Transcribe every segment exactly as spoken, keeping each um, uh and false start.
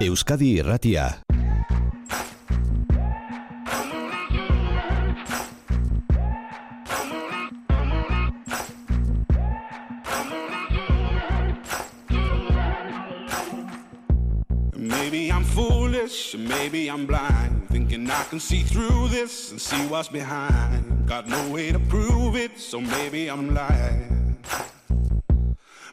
Euskadi Irratia. Maybe I'm foolish, maybe I'm blind, thinking I can see through this and see what's behind. Got no way to prove it, so maybe I'm lying.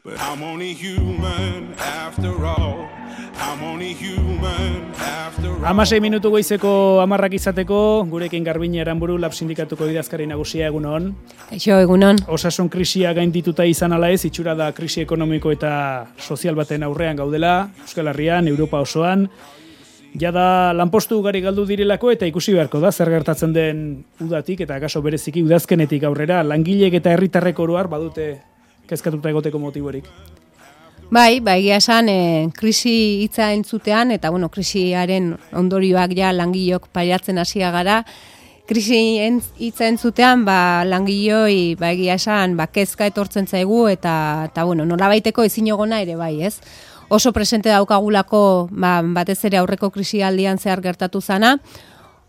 But I'm only human after all. I'm only human after all. Hamasei minutu goizeko hamarrak izateko, gurekin Garbiñe Aranburu, Lab Sindikatuko idazkari nagusia, egunon. Kaixo, egunon. Osasun krisia gaindituta izan ala ez, itxura da krisi ekonomiko eta sozial baten aurrean gaudela, Euskal Herrian, Europa osoan. Jada lanpostu ugari galdu direlako eta ikusi beharko da zer gertatzen den udatik eta akaso bereziki udazkenetik aurrera, langileek eta herritarrek oro har badute kezkatuta egoteko motiborik. Bai, bai, egia esan, e, krisi hitza entzutean, eta bueno, krisiaren ondorioak ja langileok pairatzen hasia gara, krisi hitza entzutean, ba, langileoi, ba, egia esan, ba, kezka etortzen zaigu, eta, eta bueno, nolabaiteko ezinegona ere bai, ez? Oso presente daukagulako, ba, batez ere aurreko krisialdian zehar gertatu zana,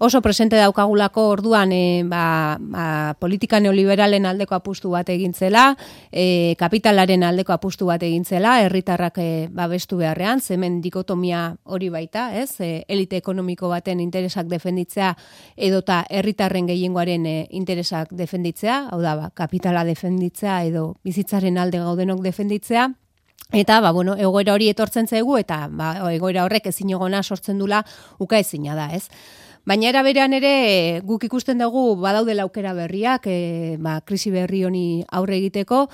oso presente daukagulako orduan e, ba, ba, politika neoliberalen aldeko apustu bat egintzela, e, kapitalaren aldeko apustu bat egintzela, herritarrak e, babestu beharrean, hemen dikotomia hori baita, ez? E, elite ekonomiko baten interesak defenditzea edota herritarren gehiengoaren e, interesak defenditzea, hau da, ba, kapitala defenditzea edo bizitzaren alde gaudenok defenditzea. Eta, ba, bueno, egoera hori etortzen zaigu eta ba, egoera horrek ezinegona sortzen dula ukaezina da, ez? Baina era berean ere guk ikusten dugu badaudela aukera berriak, e, ba, krisi berri honi aurre egiteko.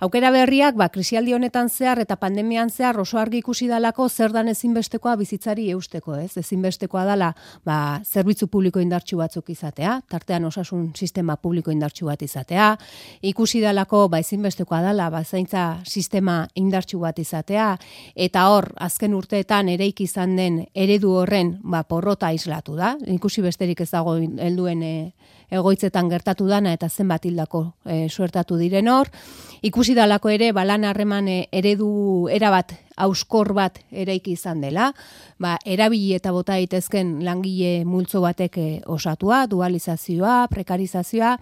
Aukera berriak, ba, krisialdi honetan zehar eta pandemian zehar oso argi ikusi dalako zer dan ezinbestekoa bizitzari eusteko, ez? Ezinbestekoa dala, ba, zerbitzu publiko indartsu batzuk izatea, tartean osasun sistema publiko indartsu bat izatea, ikusi dalako, ba, ezinbestekoa dala, ba, zaintza sistema indartsu bat izatea, eta hor, azken urteetan ereiki izan den eredu horren, ba, porrota islatu da. Ikusi besterik ez dago helduen e, egoitzetan gertatu dana eta zenbat hildako e, suertatu diren hor. Ikusi dalako ere balan harreman e, eredu erabat hauskor bat eraiki izan dela, ba, erabili eta bota daitezken langile multzo batek e, osatua, dualizazioa, prekarizazioa.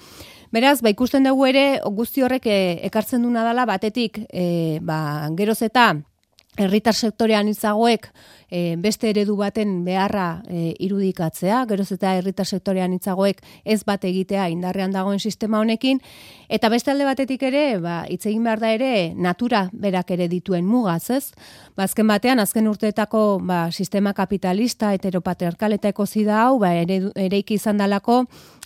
Beraz, ba, ikusten dugu ere guzti horrek e, ekartzen duna dela batetik e, ba, geroz eta herritar sektorean itzagoek e, beste eredu baten beharra e, irudikatzea, geroz eta herritar sektorean itzagoek ez bat egitea indarrean dagoen sistema honekin, eta beste alde batetik ere, ba, hitz egin behar da ere, natura berak ere dituen mugaz, ez? Ba, azken batean, azken urteetako ba, sistema kapitalista, heteropatriarkal eta ekozida hau, ba, ere, ereiki izan dalako,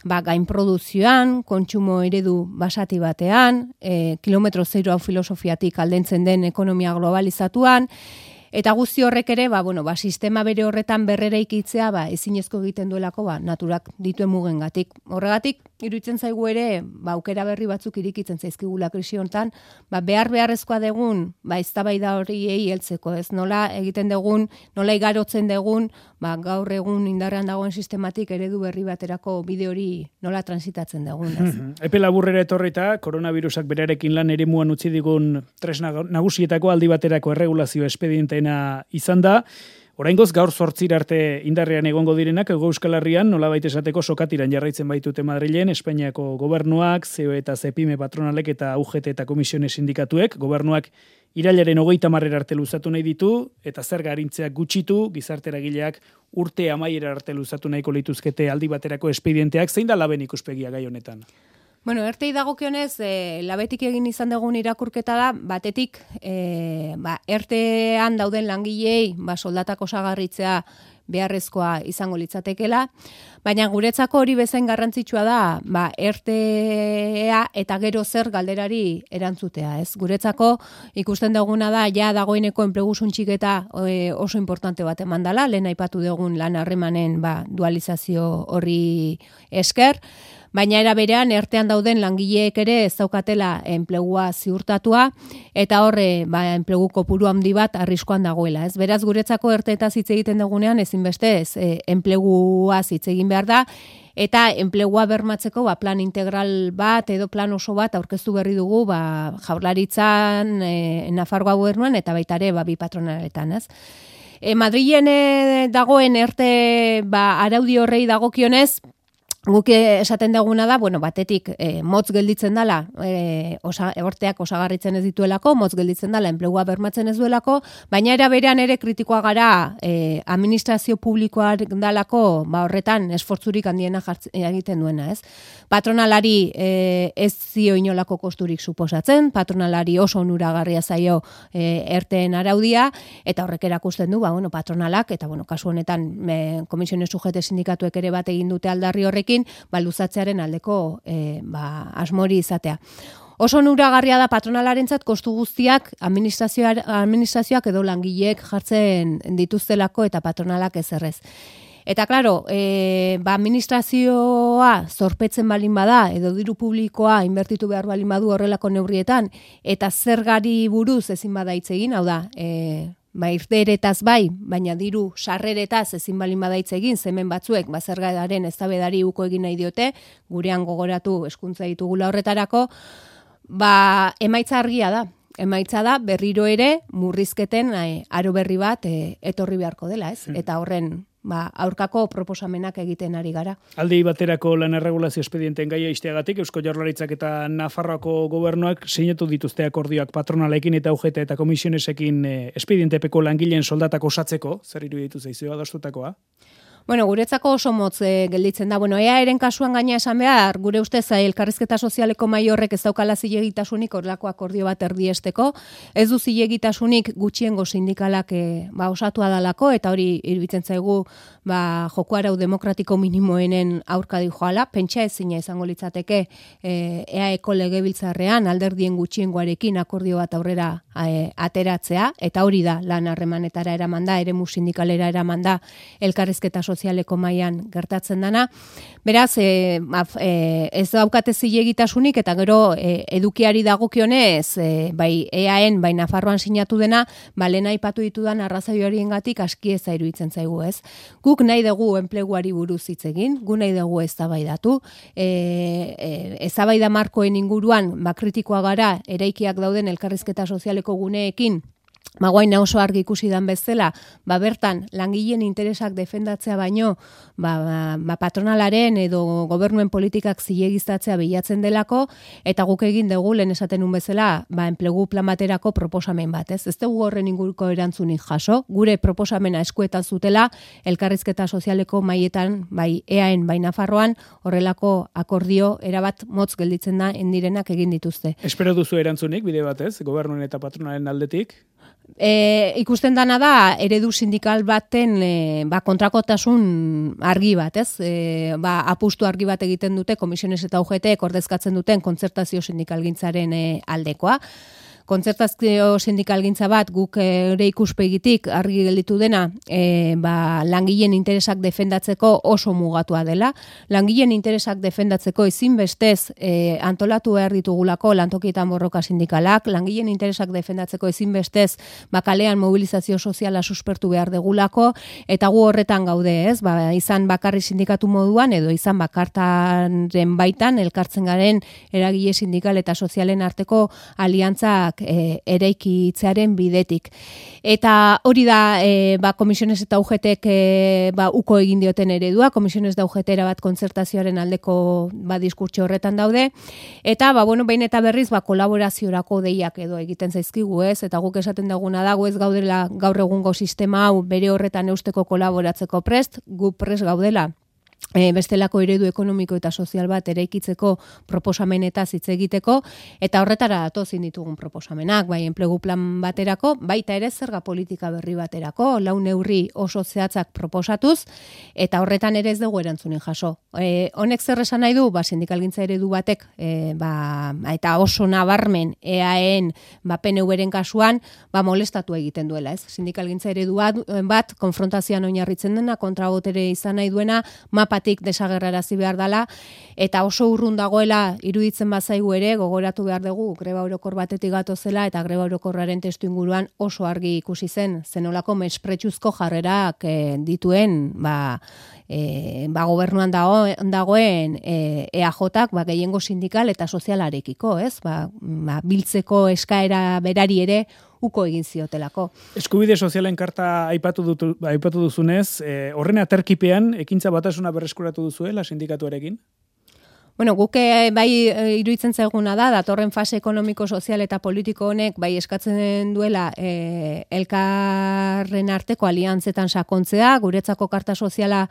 ba, gainproduzioan, kontsumo eredu basati batean, e, kilometro zero hau filosofiatik aldentzen den ekonomia globalizatuan, eta guzti horrek ere, ba, bueno, ba, sistema bere horretan berrera ikitzea, ba, ezinezko egiten duelako, ba, naturak dituen mugengatik. Horregatik, iruditzen zaigu ere, ba, aukera berri batzuk irikitzen zaizkigula krisi hontan, ba, behar beharrezkoa degun, ba, eztabaida horiei heltzeko, ez? Nola egiten degun, nola igarotzen degun, ba, gaur egun indarrean dagoen sistematik eredu berri baterako bide hori nola transitatzen degun, ez? Epe laburrera etorrita, koronavirusak berarekin lan eremuan utzi digun tresna nagusietako aldi baterako erregulazio espedienteena izan da. Oraingoz gaur zortzira arte indarrean egongo direnak Hego Euskal Herrian nolabait esateko sokatiran jarraitzen baitute Madrilen, Espainiako gobernuak, C E O eta Cepime patronalek eta U G T eta Komisione sindikatuek, gobernuak irailaren hogeita hamarera arte luzatu nahi ditu, eta zerga arintzeak gutxitu, gizarte eragileak urte amaiera arte luzatu nahiko lituzkete aldi baterako espedienteak, zein da laben ikuspegia gai honetan? Bueno, ertei dagokionez, e, labetik egin izan dugun irakurketa da, batetik, e, ba, ertean dauden langilei, ba, soldatak osagarritzea beharrezkoa izango litzatekela, baina guretzako hori bezain garrantzitsua da, ba, ertea eta gero zer galderari erantzutea, ez? Guretzako ikusten duguna da, ja dagoeneko enplegu suntxiketa e, oso importante bat eman dela, lehen aipatu dugun lan harremanen ba, dualizazio horri esker, baina era berean ertean dauden langileek ere ez daukatela enplegua ziurtatua eta horre ba, enplegu kopuru handi bat arriskoan dagoela. Ez beraz guretzako erteetaz hitz egiten dugunean ezinbeste ez e, enpleguaz hitz egin behar da eta enplegua bermatzeko ba, plan integral bat edo plan oso bat aurkeztu berri dugu ba, Jaurlaritzan, e, Nafarroa gobernuan eta baita ere ba, bi patronaletan, ez? E, Madrilen e, dagoen erte ba, araudi horrei dagokionez, guk esaten duguna da, bueno, batetik e, motz gelditzen dala, e, osa, horteak osagarritzen ez dituelako, motz gelditzen dala, enplegua bermatzen ez duelako, baina era berean ere kritikoa gara e, administrazio publikoa dalako, ba horretan esfortzurik handiena jartzen, egiten duena, ez? Patronalari e, ez zio inolako kosturik suposatzen, patronalari oso onuragarria zaio e, erteen araudia, eta horrek erakusten du, ba, bueno, patronalak, eta bueno, kasu honetan e, komisiones sujete sindikatuek ere bat egin dute aldarri horrekin, ba, luzatzearen aldeko e, ba, asmori izatea. Oso onuragarria da patronalarentzat kostu guztiak administrazioak edo langileek jartzen dituztelako eta patronalak ezerrez. Eta, klaro, e, ba, administrazioa zorpetzen balin bada, edo diru publikoa inbertitu behar balin badu horrelako neurrietan, eta zergari buruz ezin bada hitz egin, hau da, e, ba, irteeretaz bai, baina diru sarreretaz ezin balin bada hitz egin, zemen batzuek, ba, zergaren eztabaidari uko egin nahi diote, gurean gogoratu hezkuntza ditugula horretarako, ba, emaitza argia da. Emaitza da berriro ere murrizketen e, aro berri bat e, etorri beharko dela, ez? Hmm. Eta horren ba, aurkako proposamenak egiten ari gara. Aldi baterako lan erregulazio espedienten gaia isteagatik, Eusko Jaurlaritzak eta Nafarroako gobernuak sinatu dituzte akordioak patronalekin eta U G T eta komisionesekin e, espedientepeko langileen soldatak osatzeko, zer iruditu zaizue adostutakoa? Bueno, guretzako oso motz e, gelditzen da. Bueno, ea eren kasuan gaina esan behar, gure ustez elkarrizketa sozialeko mahai horrek ez daukala zilegitasunik horrelako akordio bat erdiesteko, ez du zilegitasunik gutxiengo sindikalak e, ba, osatua dalako, eta hori iruditzen zaigu ba, joko arau demokratiko minimoenen aurka dijoala, pentsa ezina izango litzateke e, eaeko legebiltzarrean alderdien gutxiengoarekin akordio bat aurrera e, ateratzea, eta hori da lan harremanetara eraman da, eremu sindikalera eraman da elkarrizketa sozialeko mailan gertatzen dana. Beraz, e, e, ez daukate zilegitasunik eta gero e, edukiari dagokionez, e, bai eaen, bai Nafarroan sinatu dena, ba lehen aipatu ditudan arrazoioriengatik aski ez iruditzen zaigu, ez? Guk nahi dugu enpleguari buruz hitz egin, gu nahi dugu eztabaidatu, e, e, eztabaida markoen inguruan ba kritikoa gara eraikiak dauden elkarrizketa sozialeko guneekin. Ba, guaina oso argi ikusi dan bezala, ba, bertan langileen interesak defendatzea baino, ba, ba, ba, patronalaren edo gobernuen politikak zilegiztatzea bilatzen delako, eta guk egin dugu lehen esaten un bezala, ba, enplegu plan baterako proposamen bat, ez? Ez dugu horren inguruko erantzunik jaso, gure proposamena eskuetan zutela, elkarrizketa sozialeko maietan, bai eaen, bai Nafarroan, horrelako akordio erabat motz gelditzen da endirenak egin dituzte. Espero duzu erantzunik, bide batez, gobernuen eta patronalen aldetik? E, ikusten dana da eredu sindikal baten e, ba, kontrakotasun argi bat, ez? E, ba, apustu argi bat egiten dute komisiones eta U G T ordezkatzen duten kontzertazio sindikalgintzaren e, aldekoa. Kontzertazio sindikalgintza bat guk ere ikuspegitik argi gelditu dena e, ba, langileen interesak defendatzeko oso mugatua dela. Langileen interesak defendatzeko ezinbestez e, antolatu behar ditugulako lantokietan borroka sindikalak, langileen interesak defendatzeko ezinbestez ba, kalean mobilizazio soziala suspertu behar degulako, eta gu horretan gaude, ez? Ba, izan bakarri sindikatu moduan edo izan bakartaren baitan elkartzen garen eragile sindikal eta sozialen arteko aliantzak E, eraikitzearen bidetik. Eta hori da e, ba, komisiones eta U GTek e, ba, uko egin dioten eredua, komisiones da U G T bat kontzertazioaren aldeko ba, diskurtso horretan daude, eta ba, bueno, behin eta berriz ba, kolaboraziorako deiak edo egiten zaizkigu, ez? Eta guk esaten duguna dago ez gaudela gaur egungo sistema hau bere horretan eusteko kolaboratzeko prest, gu prest gaudela. E, bestelako eredu ekonomiko eta sozial bat eraikitzeko proposamenetaz hitz egiteko, eta horretara datozin ditugun proposamenak, bai enplegu plan baterako, baita ere zerga politika berri baterako, lau neurri oso zehatzak proposatuz, eta horretan ere ez dugu erantzunin jaso. E, honek zer esan nahi du, ba, sindikalgintza eredu batek, e, ba, eta oso nabarmen eaen, ba, P N V-ren kasuan, ba, molestatu egiten duela, ez? Sindikalgintza eredu bat, bat konfrontazioan oinarritzen dena, kontrabotere izan nahi duena, mapatik desagerrarazi behar dela, eta oso urrun dagoela iruditzen bazaigu ere, gogoratu behar dugu, greba orokor batetik gatozela, eta greba orokorraren testu inguruan oso argi ikusi zen, zenolako mespretsuzko jarrerak e, dituen, ba, e, ba, gobernuan dago, dagoen e, E A Jak ba, gehiengo sindikal eta sozialarekiko, ez? Ba, ba, biltzeko eskaera berari ere uko egin ziotelako. Eskubide sozialen karta aipatu, dutu, aipatu duzunez, e, horren aterkipean ekintza batasuna berreskuratu duzuela sindikatuarekin? Bueno, guk bai iruditzen zaiguna da, datorren fase ekonomiko, sozial eta politiko honek bai eskatzen duela e, elkarren arteko aliantzetan sakontzea, guretzako karta soziala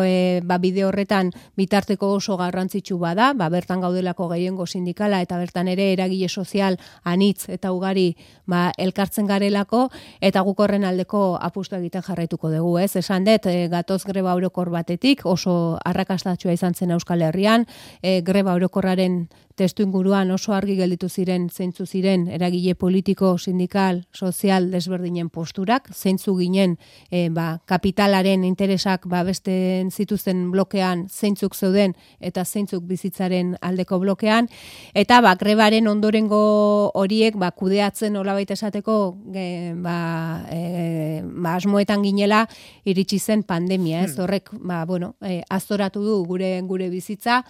e, ba, bide horretan bitarteko oso garrantzitsu bada, ba, bertan gaudelako gehiengo sindikala eta bertan ere eragile sozial anitz eta ugari ba, elkartzen garelako, eta guk horren aldeko apustu egiten jarraituko dugu, ez? Esan dut, e, gatoz greba orokor batetik, oso arrakastatsua izan zen Euskal Herrian, E, greba orokorraren testu inguruan oso argi gelditu ziren, zeintzu ziren eragile politiko, sindikal, sozial desberdinen posturak, zeintzu ginen e, ba, kapitalaren interesak ba, beste zituzten blokean zeintzuk zeuden eta zeintzuk bizitzaren aldeko blokean, eta ba, grebaren ondorengo horiek ba, kudeatzen nolabait esateko e, ba, e, ba, asmoetan ginela iritsi zen pandemia, ez? Horrek ba, bueno, e, aztoratu du gure gure bizitza,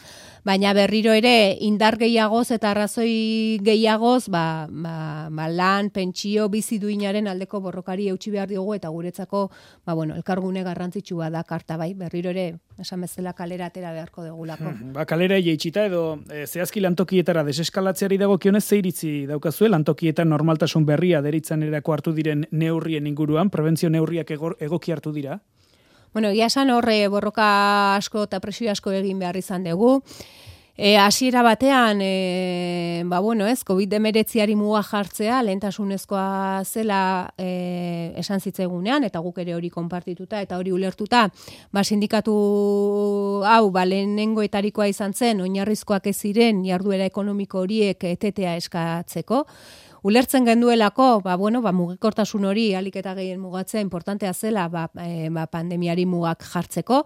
baina berriro ere indar gehiagoz eta arrazoi gehiagoz ba, ba, ba, lan, pentsio, bizi duinaren aldeko borrokari eutsi behar diogu eta guretzako ba, bueno, elkargune garrantzitsua da karta bai, berriro ere esan bezala kalera atera beharko degulako. Hmm, ba, kalera jeitsita edo e, zehazki lantokietara deseskalatzeari dagokionez ze iritzi daukazue lantokietan normaltasun berria deritzan erako hartu diren neurrien inguruan, prebentzio neurriak ego, egoki hartu dira? Bueno, egia esan horre borroka asko eta presio asko egin behar izan dugu. E, hasiera batean, e, ba bueno, ez, covid hemeretziari muga jartzea, lehentasunezkoa zela e, esan zitzaigunean, eta guk ere hori konpartituta eta hori ulertuta, ba sindikatu hau, ba lehenengoetarikoa izan zen, oinarrizkoak ez ziren jarduera ekonomiko horiek etetea eskatzeko. Ulertzen genduelako, ba, bueno, ba, mugikortasun hori alik eta gehien mugatzea importantea zela ba, e, ba, pandemiari mugak jartzeko.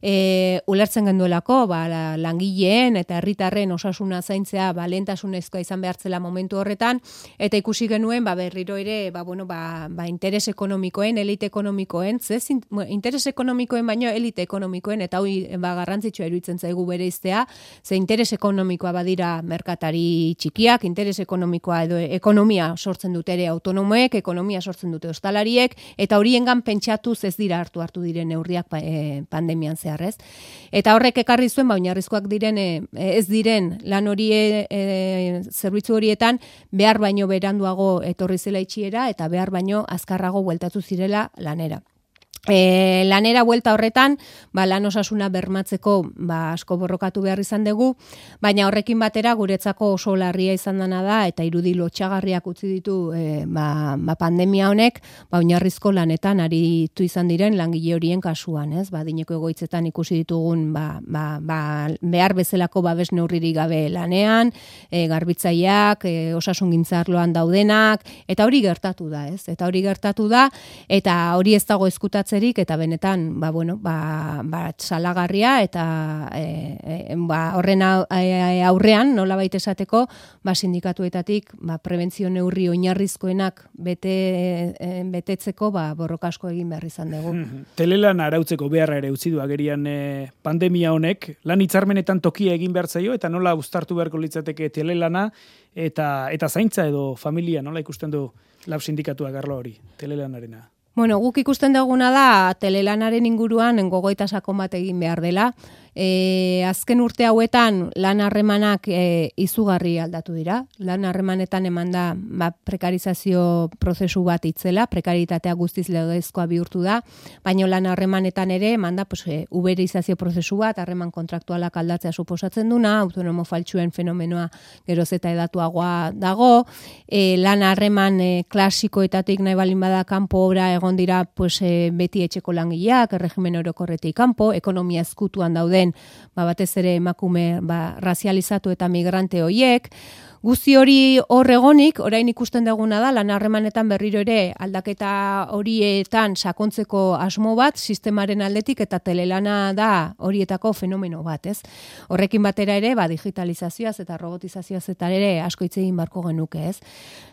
E, ulertzen genduelako ba, la, langileen eta herritarren osasuna zaintzea ba, lehentasunezkoa izan behartzela momentu horretan, eta ikusi genuen ba, berriro ere ba, bueno, ba, ba, interes ekonomikoen, elite ekonomikoen, zez, interes ekonomikoen baino elite ekonomikoen, eta hori ba, garrantzitsua iruditzen zaigu bereiztea, ze interes ekonomikoa badira merkatari txikiak, interes ekonomikoa edo ekonomikoa ekonomia sortzen dute ere autonomoek, ekonomia sortzen dute ostalariek, eta horiengan pentsatuz ez dira hartu hartu diren neurriak e, pandemian zehar, ez? Eta horrek ekarri zuen, ba, oinarrizkoak diren, e, ez diren lan hori e, zerbitzu horietan, behar baino beranduago etorri zela itxiera, eta behar baino azkarrago bueltatu zirela lanera. E, lanera buelta horretan, ba, lan osasuna bermatzeko ba, asko borrokatu behar izan dugu, baina horrekin batera guretzako oso larria izan dena da, eta irudi lotxagarriak utzi ditu e, ba, ba, pandemia honek, ba, oinarrizko lanetan aritu izan diren langile horien kasuan, ez? Ba, dineko egoitzetan ikusi ditugun ba, ba, ba, behar bezalako babes neurririk gabe lanean, e, garbitzaileak, e, osasun gintzarloan daudenak, eta hori gertatu da, ez? Eta hori gertatu da, eta hori ez dago ezkutatzen eta benetan ba, bueno, ba, ba, salagarria eta e, e, ba, horren aurrean nolabait esateko ba, sindikatuetatik ba, prebentzio neurri oinarrizkoenak bete, e, betetzeko ba, borroka asko egin behar izan dugu. Telelan arautzeko beharra ere utzi du agerian e, pandemia honek, lan hitzarmenetan tokia egin behar zaio eta nola uztartu beharko litzateke telelana eta, eta zaintza edo familia nola ikusten du lab sindikatuak arlo hori, telelanarena? Bueno, guk ikusten duguna da telelanaren inguruan gogoeta sakon bat egin behar dela. E, azken urte hauetan lan harremanak e, izugarri aldatu dira. Lan harremanetan eman da ba, prekarizazio prozesu bat itzela, prekaritatea guztiz legezkoa bihurtu da, baina lan harremanetan ere eman da pues, e, uberizazio prozesu bat, harreman kontraktualak aldatzea suposatzen duna, autonomo faltsuen fenomenoa geroz eta edatuagoa dago, e, lan harreman e, klasikoetatik nahi balin bada kanpo obra egon dira pues, e, beti etxeko langileak, erregimen orokorretik kanpo, ekonomia ezkutuan dauden ba, batez ere emakume ba, razializatu eta migrante hoiek. Guzti hori hor egonik, orain ikusten duguna da, lan harremanetan berriro ere aldaketa horietan sakontzeko asmo bat, sistemaren aldetik eta telelana da horietako fenomeno bat, ez? Horrekin batera ere, ba, digitalizazioaz eta robotizazioaz eta ere asko hitz egin barko genuke, ez?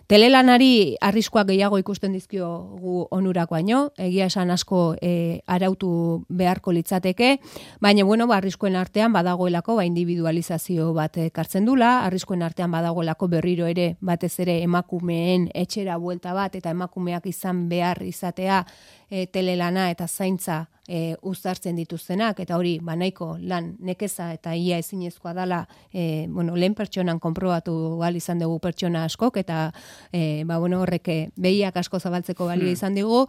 Telelanari arriskuak gehiago ikusten dizkiogu onurak baino, egia esan asko e, arautu beharko litzateke, baina bueno, ba, arriskuen artean badagoelako ba, individualizazio bat ekartzen dula, arriskuen artean badagoelako berriro ere batez ere emakumeen etxera buelta bat eta emakumeak izan behar izatea e, telelana eta zaintza e, uztartzen dituztenak, eta hori banaiko lan nekeza eta ia ezinezkoa dala e, bueno, lehen pertsonan konprobatu gal izan dugu pertsona askok, eta e, ba, bueno, horrek behiak asko zabaltzeko balio izan digu.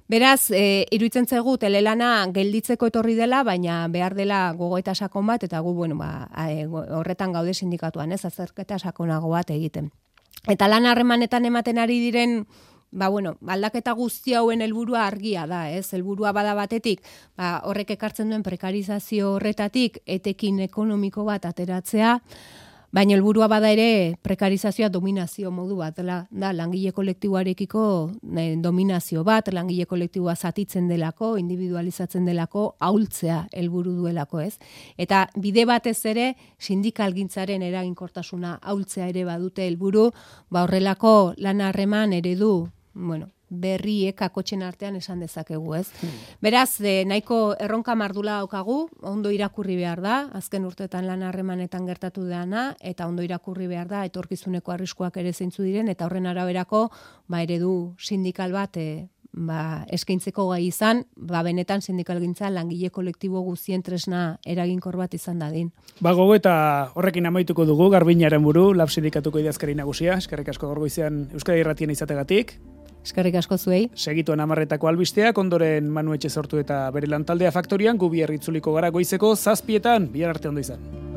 Beraz, e, iruditzen zaigu telelana gelditzeko etorri dela, baina behar dela gogoeta sakon bat, eta gu, bueno, ba, e, horretan gaude sindikatuan, ez, azterketa sakonago bat egiten. Eta lan harremanetan ematen ari diren, ba, bueno, aldaketa guzti hauen helburua argia da, ez, helburua bada batetik, ba, horrek ekartzen duen prekarizazio horretatik, etekin ekonomiko bat ateratzea, baina helburua bada ere prekarizazioa dominazio modu bat, da, da langile kolektiboarekiko eh, dominazio bat, langile kolektiboa zatitzen delako, individualizatzen delako, ahultzea helburu duelako, ez? Eta bide batez ere sindikalgintzaren eraginkortasuna ahultzea ere badute helburu, ba horrelako lan harreman eredu, bueno, berriek akotxen artean esan dezakegu, ez? Hmm. Beraz, de, nahiko erronka mardula daukagu, ondo irakurri behar da, azken urteetan lan harremanetan gertatu dena, eta ondo irakurri behar da, etorkizuneko arriskuak ere zeintzu diren, eta horren araberako, ba, eredu sindikal bat, e, ba, eskaintzeko gai izan, ba, benetan sindikalgintza langile kolektibo guztien tresna eraginkor bat izan dadin. Ba, gogo eta horrekin amaituko dugu, Garbinaren buru, Lab Sindikatuko idazkari nagusia, eskerrik asko gaur goizean Euskadi Irratien izategatik. Eskerrik asko zuei. Segituen amarretako albisteak, ondoren Manu Etxe sortu eta bere lantaldea faktorian, gu bihar itzuliko gara goizeko zazpietan, bihar arte ondo izan.